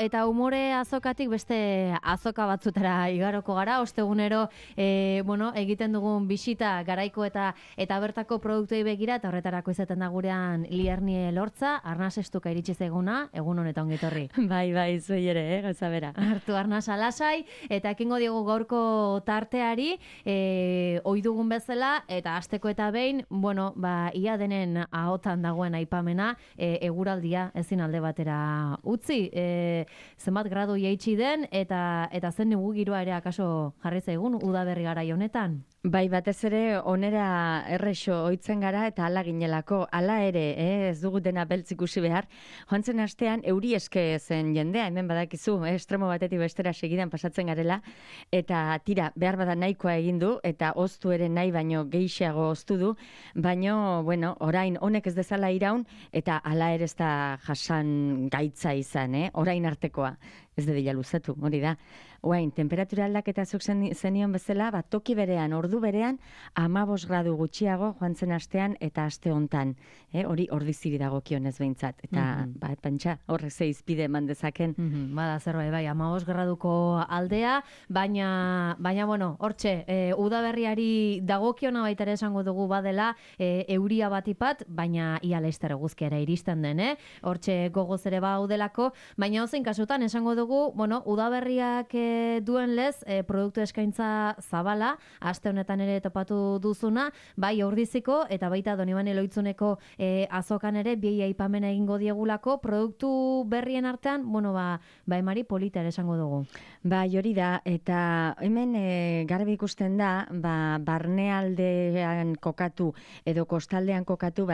eta umore azokatik beste azoka batzutara igaroko gara, ostegunero egiten dugun bisita garaiko eta bertako produktuei begira, eta horretarako izaten da gurean Liernie Lortza, arnaz estuka iritsi zaiguna, egun honetan ongi etorri. Bai, zuei ere, gauza bera. Hartu arnaz alasai, eta ekingo diogu gaurko tarteari, ohi dugun bezala, eta asteko eta behin, ia denen ahotan dagoen aipamena, eguraldia ezin alde batera utzi, zenbat gradu jaitsi den, eta zen negu giroa ere akaso jarri zaigun udaberri garai honetan? Bai, batez ere onera errexo ohitzen gara eta hala ginelako, hala ere, ez dugu dena beltz ikusi behar. Joan zen astean euri eske zen jendea, hemen badakizu, estremo batetik bestera segidan pasatzen garela, eta tira, behar bada nahikoa egin du, eta oztu ere nahi baino gehiago oztu du, baino, orain honek ez dezala iraun, eta hala ere ez da jasan gaitza izan, orain artekoa. Ez dedila luzatu, hori da. Oain, temperatura aldaketa zuk zenion bezala, toki berean, ordu berean, 15 gradu gutxiago joan zen astean eta aste hontan. Hori ordiziri dagokionez behintzat. Eta, pentsa, horrek ze izpide eman dezaken. Bada, zerbait, bai, 15 graduko aldea, baina hortxe, udaberriari dagokiona baita ere esango dugu badela, euria batipat, baina ia laizter eguzkiara iristen den, hortxe gogoz ere baudelako, baina ozein kasutan esango dugu, udaberriak duen lez, produktu eskaintza zabala, aste honetan ere topatu duzuna, bai ordiziko eta baita Donibane Lohitzuneko azokan ere bi aipamena egingo diegulako, produktu berrien artean, emari polita ere esango dugu. Bai, hori da, eta hemen garbi ikusten da, barnealdean kokatu edo kostaldean kokatu,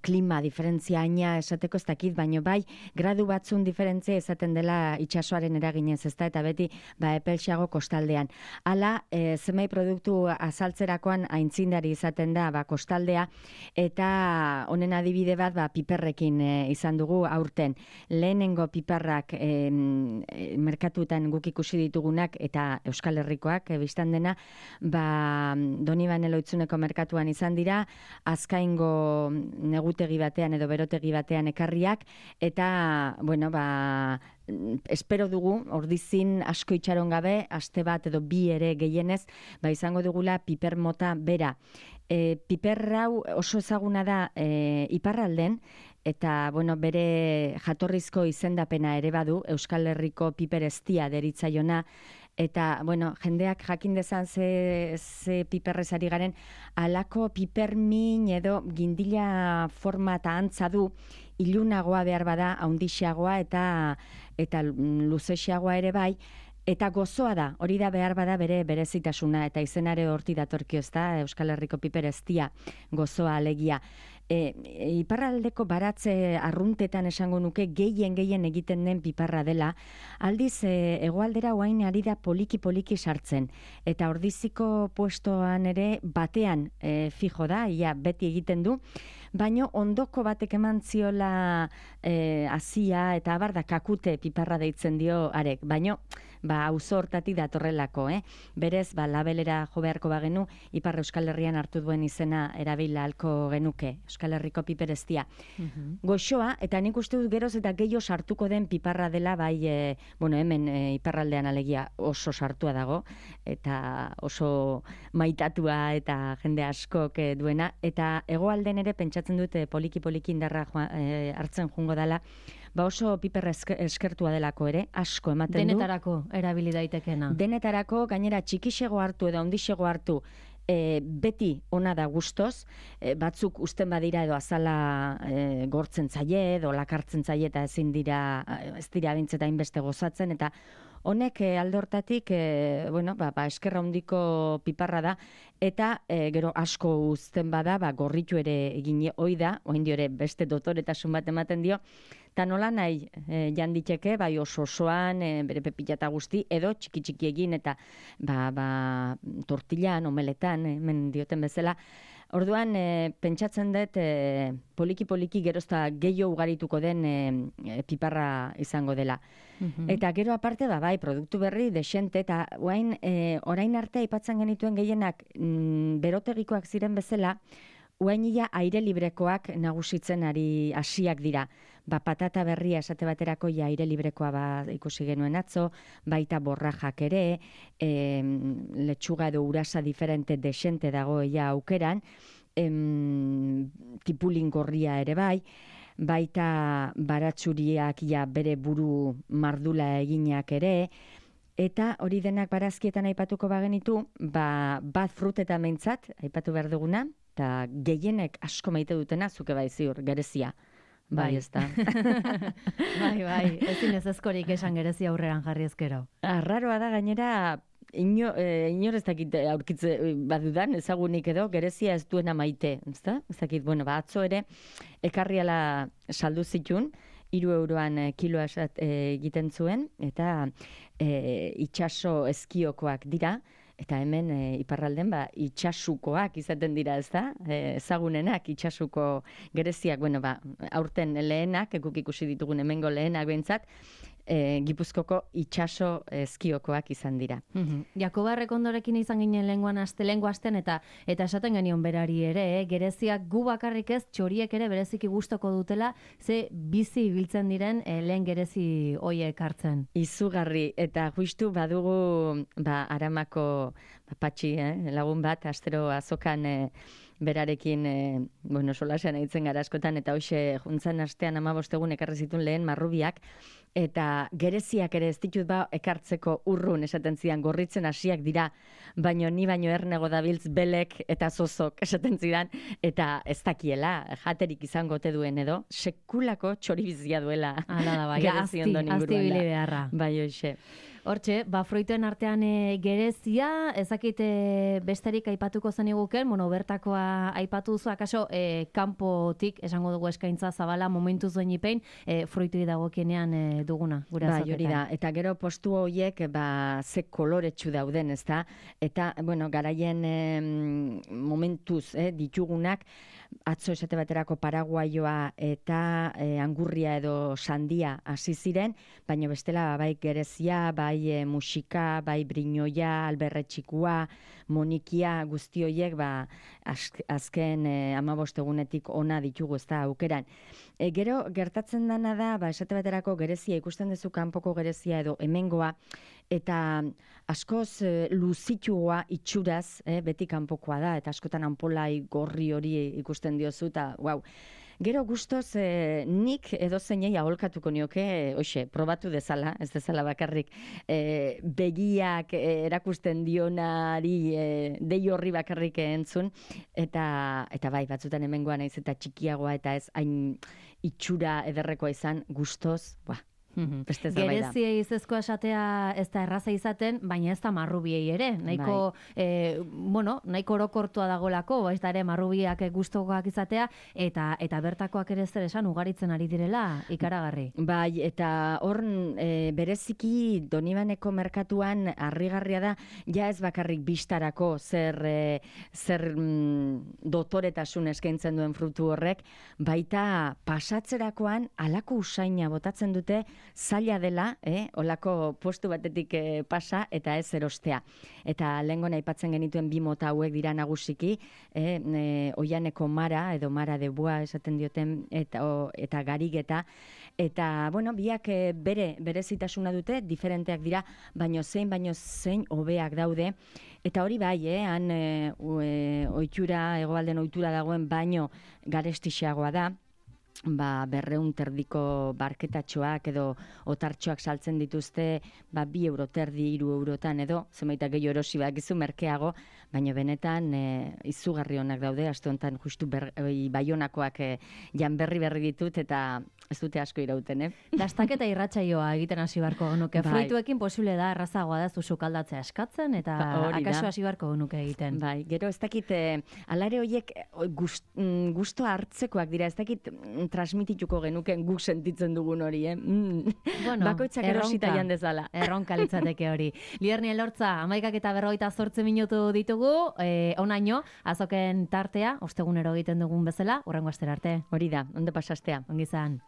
klima diferentziaina esateko ez dakit, baino bai, gradu batzun diferentzia esaten dela itsasoaren eraginez, ezta, eta beti epelxeago kostaldean. Hala, zenbait produktu azaltzerakoan aintzindari izaten da kostaldea, eta honen adibide bat piperrekin izan dugu aurten. Lehenengo piperrak merkatuetan guk ikusi ditugunak eta Euskal Herrikoak biztan dena, Donibane Lohitzuneko merkatuan izan dira, azkaingo negutegi batean edo berotegi batean ekarriak, eta, espero dugu, ordizin asko itxaron gabe, aste bat edo bi ere gehienez, izango dugula piper mota bera. Piper hau oso ezaguna da iparralden, eta bere jatorrizko izendapena ere badu, Euskal Herriko piper eztia deritzaiona, eta, jendeak jakin dezan ze piperrez ari garen, alako pipermin edo gindila forma eta antza du, ilunagoa behar bada, haundixeagoa eta luzexeagoa ere bai, eta gozoa da, hori da behar bada bere berezitasuna, eta izenare horti datorkio ez da, Euskal Herriko piper eztia, gozoa alegia. Iparraldeko baratze arruntetan esango nuke gehien egiten den piparra dela, aldiz hegoaldera oain ari da poliki sartzen, eta ordiziko puestoan ere batean fijo da, ia beti egiten du, baino ondoko batek eman ziola hasia eta abar da kakute piparra deitzen dio arek, baino auzo hortatik datorrelako, berez labelera jo beharko bagenu, Ipar Euskal Herrian hartu duen izena erabila halko genuke, Euskal Herriko piper eztia. Goxoa, eta nik uste dut geroz eta gehiago sartuko den piparra dela, hemen iparraldean alegia oso sartua dago, eta oso maitatua eta jende askok duena, eta hegoalden ere pentsatzen dute poliki indarra hartzen jungo dela, oso piper eskertua delako ere, asko ematen du. Denetarako erabili daitekena. Denetarako, gainera txikixego hartu edo handixego hartu, beti ona da gustoz, batzuk usten badira edo azala gortzen zaie edo lakartzen zaie eta ez dira bintzeta inbeste gozatzen, eta honek alde hortatik, eskerra handiko piparra da, eta gero asko uzten bada, gorritu ere egin hoi da, oin dio ere beste dotoretasun bat ematen dio, eta nola nahi janditeke, oso-osoan, bere pepilata guzti, edo txiki egin, eta tortillan, omeletan, hemen dioten bezala. Orduan, pentsatzen dut, poliki gerozta gehiago ugarituko den piparra izango dela. Eta gero aparte produktu berri desente, eta orain arte aipatzen genituen gehienak berotegikoak ziren bezala, uainila aire librekoak nagusitzen ari hasiak dira. patata berria esate baterako aire librekoa ikusi genuen atzo, baita borrajak ere, letxuga edo urasa diferente desente dago aukeran, tipulin gorria ere bai, baita baratzuriak bere buru mardula eginak ere, eta hori denak barazkietan aipatuko bagenitu, bat frutetan meintzat, aipatu behar duguna, eta gehienek asko maite dutena, zuke bai ziur, gerezia. Bai, ez da. Bai, ezin ez ezkorik esan gerezia aurreran jarri ezkero. Arraroa da gainera, inor ez dakit aurkitze badudan, ezagunik edo, gerezia ez duena maite, ez da? Ez dakit, atzo ere, ekarriala saldu zitun, 3 euroan kiloa egiten zuen, eta itxaso eskiokoak dira, eta hemen iparralden itxasukoak izaten dira, ez da? Ezagunenak itxasuko gereziak, aurten lehenak, guk ikusi ditugun hemengo lehenak behintzat, Gipuzkoko itxaso eskiokoak izan dira. Jakoba Errekondorekin izan ginen lehengo asten eta esaten genion berari ere, gereziak gu bakarrik ez, txoriek ere bereziki gustoko dutela, ze bizi ibiltzen diren lehen gerezi hoiek hartzen. Izugarri, eta justu badugu Aramako patxi, lagun bat, astero azokan berarekin, solasean aitzen gara askotan, eta hoxe juntzan astean 15 egun ekarri zituen lehen marrubiak, eta gereziak ere ez ditut ekartzeko urrun esaten zidan, gorritzen hasiak dira, baino ni baino ernego dabiltz belek eta zozok esaten zidan, eta ez dakiela, jaterik izango te duen edo, sekulako txoribizia duela. Hala da, bai, azti bili beharra. Bai, hoxe. Hortxe, fruituen artean gerezia, ezakit besterik aipatuko zen iguken, bertakoa aipatu duzu, akaso kanpotik, esango dugu eskaintza zabala, momentu zuen ipein, fruitui dagokienean duguna, gure azoketan. Bai, hori da, eta gero postu horiek, ze koloretsu dauden, ez da, eta, garaien momentuz ditugunak, atzo esate baterako paraguaioa eta angurria edo sandia hasi ziren, baina bestela bai gerezia, bai musika, bai brinoia, alberretxikua, monikia, guzti horiek azken 15 egunetik ona ditugu, ez da, aukeran. Gero, gertatzen dana da, esate baterako gerezia, ikusten duzu kanpoko gerezia edo hemengoa, eta askoz luzitxua itxuraz, beti kanpokoa da, eta askotan anpolai gorri hori ikusten diozu, eta wow. Gero gustoz nik edozeinei aholkatuko nioke, probatu dezala, ez dezala bakarrik begiak erakusten dionari dei horri bakarrik entzun, eta bai, batzutan hemengoa naiz eta txikiagoa eta ez hain itxura ederrekoa izan, gustoz, Gereziei izezkoa esatea ez da erraza izaten, baina ez da marrubiei ere. Nahiko orokortua dagolako, ez da ere marrubiak gustokoak izatea, eta bertakoak ere zer esan ugaritzen ari direla ikaragarri. Bai, eta hor bereziki Donibaneko merkatuan harrigarria da, ja ez bakarrik bistarako zer dotoretasun eskaintzen duen frutu horrek, baita pasatzerakoan halako usaina botatzen dute, zaila dela, olako postu batetik pasa eta ez erostea. Eta lehengon aipatzen genituen 2 mota hauek dira nagusiki, oianeko mara, edo mara de bua esaten dioten, eta garigeta, eta, biak berezitasuna dute, diferenteak dira, baino zein hobeak daude, eta hori bai, han ohitura, hegoalden ohitura dagoen baino garestixeagoa da, 200 terdiko barketatxoak edo otartxoak saltzen dituzte 2 euro terdi, 3 eurotan edo, zenbaita gehiago erosi bakizu merkeago, baina benetan izugarri honak daude, aste honetan justu Baionakoak jan berri ditut eta ez dute asko irauten, Dastaketa irratsaioa egiten hasi beharko genuke. Fruituekin posible da, errazagoa da zu sukaldatzea eskatzen eta akaso hasi beharko genuke egiten. Bai, gero ez dakit, alare horiek gusto hartzekoak dira, ez dakit transmitituko genuken guk sentitzen dugun hori, bakoitzak erosita jan dezala. Erronka litzateke hori. Lierni Elortza, 11:48 minutu ditugu, onaino, azoken tartea, ostegunero egiten dugun bezala, hurrengo astera arte. Hori da, ondo pasastea. Ongi izan.